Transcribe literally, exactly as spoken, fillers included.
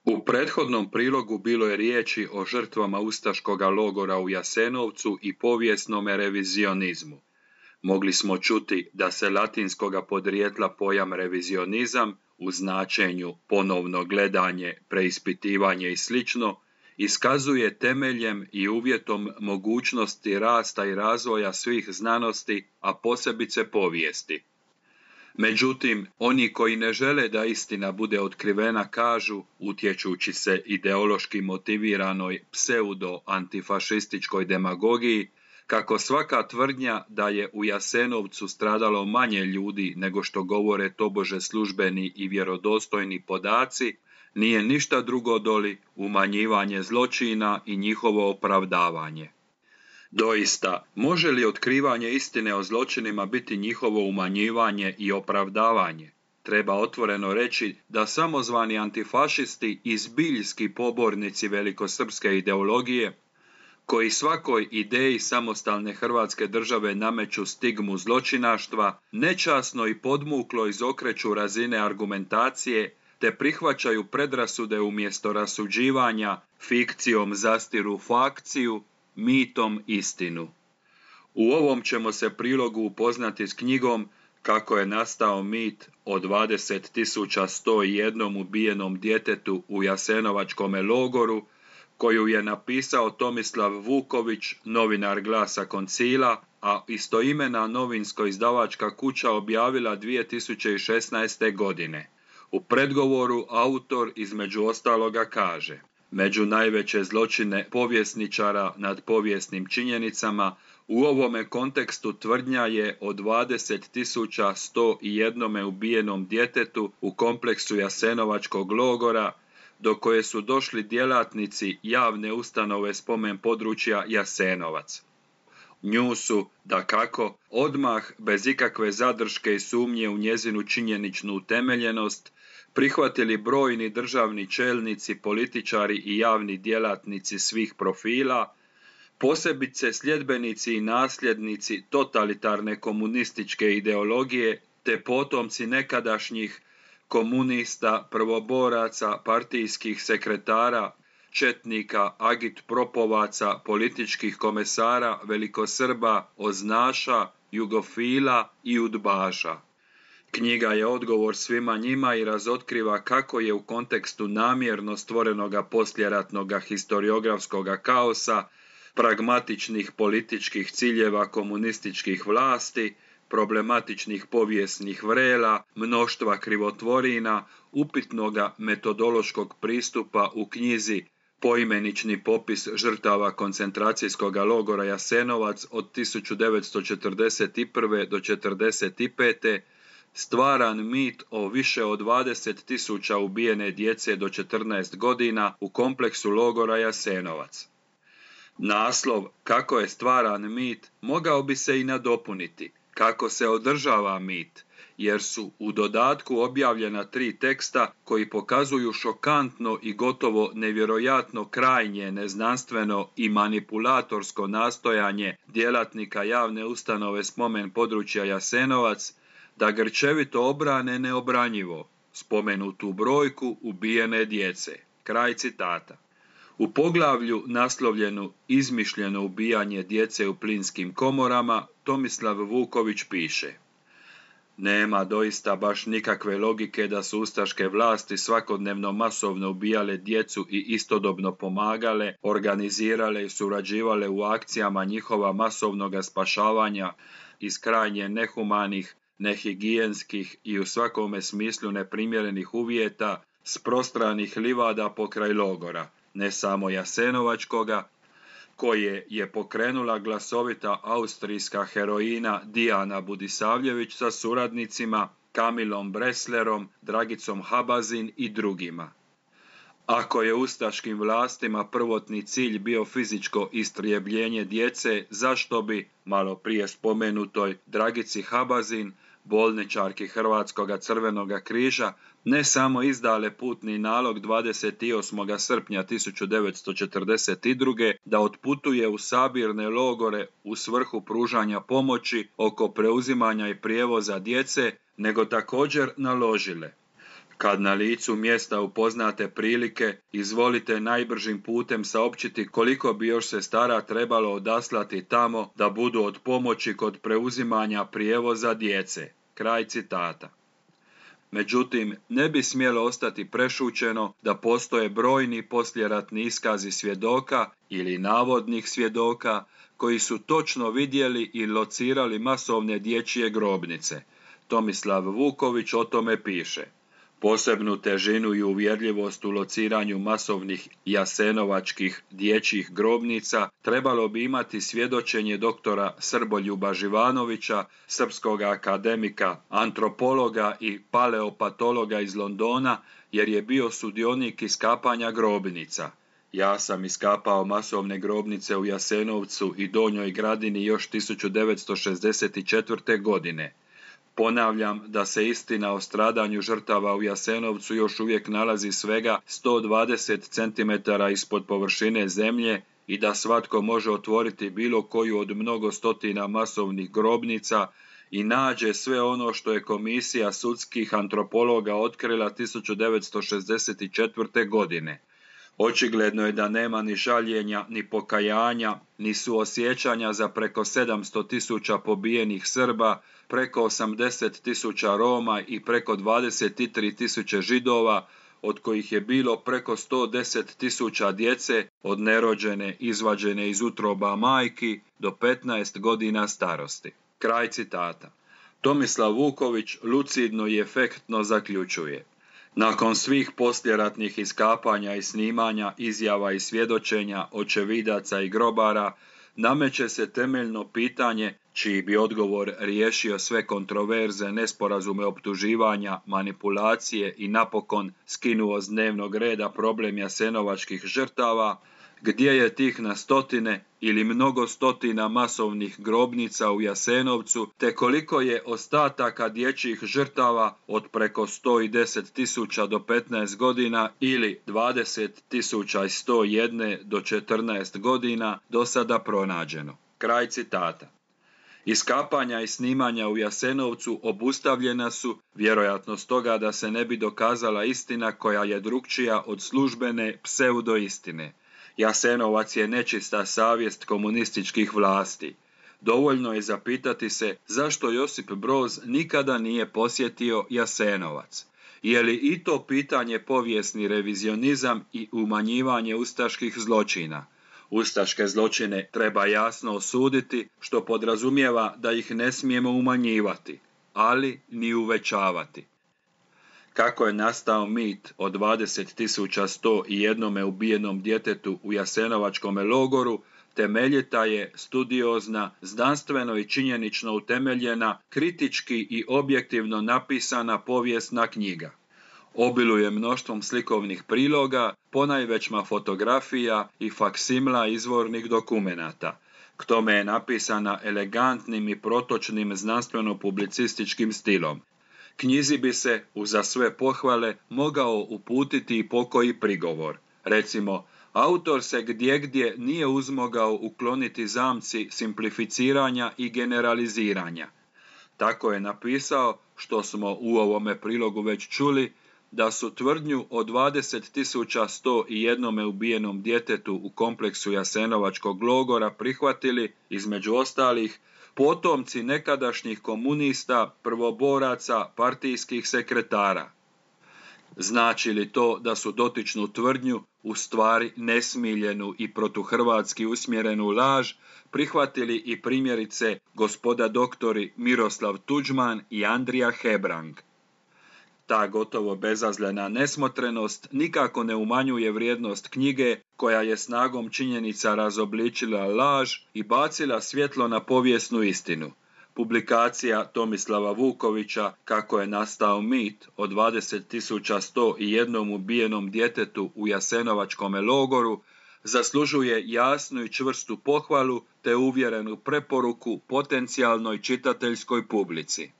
U prethodnom prilogu bilo je riječi o žrtvama ustaškoga logora u Jasenovcu i povijesnome revizionizmu. Mogli smo čuti da se latinskoga podrijetla pojam revizionizam u značenju ponovno gledanje, preispitivanje i slično iskazuje temeljem i uvjetom mogućnosti rasta i razvoja svih znanosti, a posebice povijesti. Međutim, oni koji ne žele da istina bude otkrivena kažu, utječući se ideološki motiviranoj pseudo-antifašističkoj demagogiji, kako svaka tvrdnja da je u Jasenovcu stradalo manje ljudi nego što govore tobože službeni i vjerodostojni podaci, nije ništa drugo doli umanjivanje zločina i njihovo opravdavanje. Doista, može li otkrivanje istine o zločinima biti njihovo umanjivanje i opravdavanje? Treba otvoreno reći da samozvani antifašisti i zbiljski pobornici velikosrpske ideologije, koji svakoj ideji samostalne Hrvatske države nameću stigmu zločinaštva, nečasno i podmuklo izokreću razine argumentacije, te prihvaćaju predrasude umjesto rasuđivanja, fikcijom zastiru fakciju, mitom istinu. U ovom ćemo se prilogu upoznati s knjigom Kako je nastao mit o dvadeset tisuća sto jedan ubijenom djetetu u Jasenovačkome logoru, koju je napisao Tomislav Vuković, novinar Glasa Koncila, a istoimena novinsko-izdavačka kuća objavila dvije tisuće šesnaeste. godine. U predgovoru autor između ostaloga kaže: među najveće zločine povjesničara nad povijesnim činjenicama u ovome kontekstu tvrdnja je o dvadeset tisuća sto jedan ubijenom djetetu u kompleksu Jasenovačkog logora, do koje su došli djelatnici javne ustanove spomen područja Jasenovac. Nju su, dakako, odmah, bez ikakve zadrške i sumnje u njezinu činjeničnu utemeljenost, prihvatili brojni državni čelnici, političari i javni djelatnici svih profila, posebice sljedbenici i nasljednici totalitarne komunističke ideologije, te potomci nekadašnjih komunista, prvoboraca, partijskih sekretara, četnika, agitpropovaca, političkih komesara, velikosrba, oznaša, jugofila i udbaša. Knjiga je odgovor svima njima i razotkriva kako je u kontekstu namjerno stvorenoga poslijeratnoga historiografskoga kaosa, pragmatičnih političkih ciljeva komunističkih vlasti, problematičnih povijesnih vrela, mnoštva krivotvorina, upitnoga metodološkog pristupa u knjizi Poimenični popis žrtava koncentracijskog logora Jasenovac od tisuću devetsto četrdeset prve. do četrdeset pete. stvaran mit o više od dvadeset tisuća ubijene djece do četrnaest godina u kompleksu logora Jasenovac. Naslov Kako je stvaran mit mogao bi se i nadopuniti Kako se održava mit, jer su u dodatku objavljena tri teksta koji pokazuju šokantno i gotovo nevjerojatno krajnje neznanstveno i manipulatorsko nastojanje djelatnika javne ustanove spomen područja Jasenovac da grčevito obrane neobranjivo spomenutu brojku ubijene djece. Kraj citata. U poglavlju naslovljenu Izmišljeno ubijanje djece u plinskim komorama Tomislav Vuković piše: nema doista baš nikakve logike da su ustaške vlasti svakodnevno masovno ubijale djecu i istodobno pomagale, organizirale i surađivale u akcijama njihova masovnoga spašavanja iz krajnje nehumanih, nehigijenskih i u svakome smislu neprimjerenih uvjeta s prostranih livada pokraj logora, ne samo Jasenovačkoga, koje je pokrenula glasovita austrijska heroina Dijana Budisavljević sa suradnicima Kamilom Breslerom, Dragicom Habazin i drugima. Ako je ustaškim vlastima prvotni cilj bio fizičko istrijebljenje djece, zašto bi, malo prije spomenutoj Dragici Habazin, bolničarki Hrvatskoga crvenoga križa, ne samo izdale putni nalog dvadeset osmog srpnja tisuću devetsto četrdeset druge. da otputuje u sabirne logore u svrhu pružanja pomoći oko preuzimanja i prijevoza djece, nego također naložile: Kad na licu mjesta upoznate prilike, izvolite najbržim putem saopćiti koliko bi još sestara trebalo odaslati tamo da budu od pomoći kod preuzimanja prijevoza djece. Kraj citata. Međutim, ne bi smjelo ostati prešućeno da postoje brojni poslijeratni iskazi svjedoka ili navodnih svjedoka koji su točno vidjeli i locirali masovne dječje grobnice. Tomislav Vuković o tome piše. Posebnu težinu i uvjerljivost u lociranju masovnih jasenovačkih dječjih grobnica trebalo bi imati svjedočenje doktora Srboljuba Živanovića, srpskog akademika, antropologa i paleopatologa iz Londona, jer je bio sudionik iskapanja grobnica. Ja sam iskapao masovne grobnice u Jasenovcu i Donjoj Gradini još tisuću devetsto šezdeset četvrte. godine. Ponavljam da se istina o stradanju žrtava u Jasenovcu još uvijek nalazi svega sto dvadeset centimetara ispod površine zemlje i da svatko može otvoriti bilo koju od mnogo stotina masovnih grobnica i nađe sve ono što je komisija sudskih antropologa otkrila tisuću devetsto šezdeset četvrte. godine. Očigledno je da nema ni žaljenja, ni pokajanja, ni suosjećanja za preko sedamsto tisuća pobijenih Srba, preko osamdeset tisuća Roma i preko dvadeset tri tisuće Židova, od kojih je bilo preko sto deset tisuća djece od nerođene izvađene iz utroba majki do petnaest godina starosti. Kraj citata. Tomislav Vuković lucidno i efektno zaključuje. Nakon svih poslijeratnih iskapanja i snimanja, izjava i svjedočenja očevidaca i grobara, nameće se temeljno pitanje čiji bi odgovor riješio sve kontroverze, nesporazume, optuživanja, manipulacije i napokon skinuo s dnevnog reda problem jasenovačkih žrtava, gdje je tih na stotine ili mnogo stotina masovnih grobnica u Jasenovcu, te koliko je ostataka dječjih žrtava od preko sto deset tisuća do petnaest godina ili dvadeset tisuća sto jedan do četrnaest godina do sada pronađeno. Kraj citata. Iskapanja i snimanja u Jasenovcu obustavljena su, vjerojatno stoga da se ne bi dokazala istina koja je drukčija od službene pseudoistine. Jasenovac je nečista savjest komunističkih vlasti. Dovoljno je zapitati se zašto Josip Broz nikada nije posjetio Jasenovac. Je li i to pitanje povijesni revizionizam i umanjivanje ustaških zločina? Ustaške zločine treba jasno osuditi, što podrazumijeva da ih ne smijemo umanjivati, ali ni uvećavati. Kako je nastao mit o dvadeset tisuća sto jedan ubijenom djetetu u Jasenovačkom logoru, temeljita je, studiozna, znanstveno i činjenično utemeljena, kritički i objektivno napisana povijesna knjiga. Obiluje mnoštvom slikovnih priloga, ponajvećma fotografija i faksimla izvornih dokumenata. K tome je napisana elegantnim i protočnim znanstveno-publicističkim stilom. Knjizi bi se, uza sve pohvale, mogao uputiti i pokoji prigovor. Recimo, autor se gdje-gdje nije uzmogao ukloniti zamci simplificiranja i generaliziranja. Tako je napisao, što smo u ovome prilogu već čuli, da su tvrdnju o dvadeset tisuća sto jedan ubijenom djetetu u kompleksu Jasenovačkog logora prihvatili, između ostalih, potomci nekadašnjih komunista, prvoboraca, partijskih sekretara. Znači li to da su dotičnu tvrdnju, u stvari nesmiljenu i protuhrvatski usmjerenu laž, prihvatili i primjerice gospoda doktori Miroslav Tuđman i Andrija Hebrang? Ta gotovo bezazlena nesmotrenost nikako ne umanjuje vrijednost knjige koja je snagom činjenica razobličila laž i bacila svjetlo na povijesnu istinu. Publikacija Tomislava Vukovića Kako je nastao mit o dvadeset tisuća sto jedan ubijenom djetetu u Jasenovačkom logoru zaslužuje jasnu i čvrstu pohvalu te uvjerenu preporuku potencijalnoj čitateljskoj publici.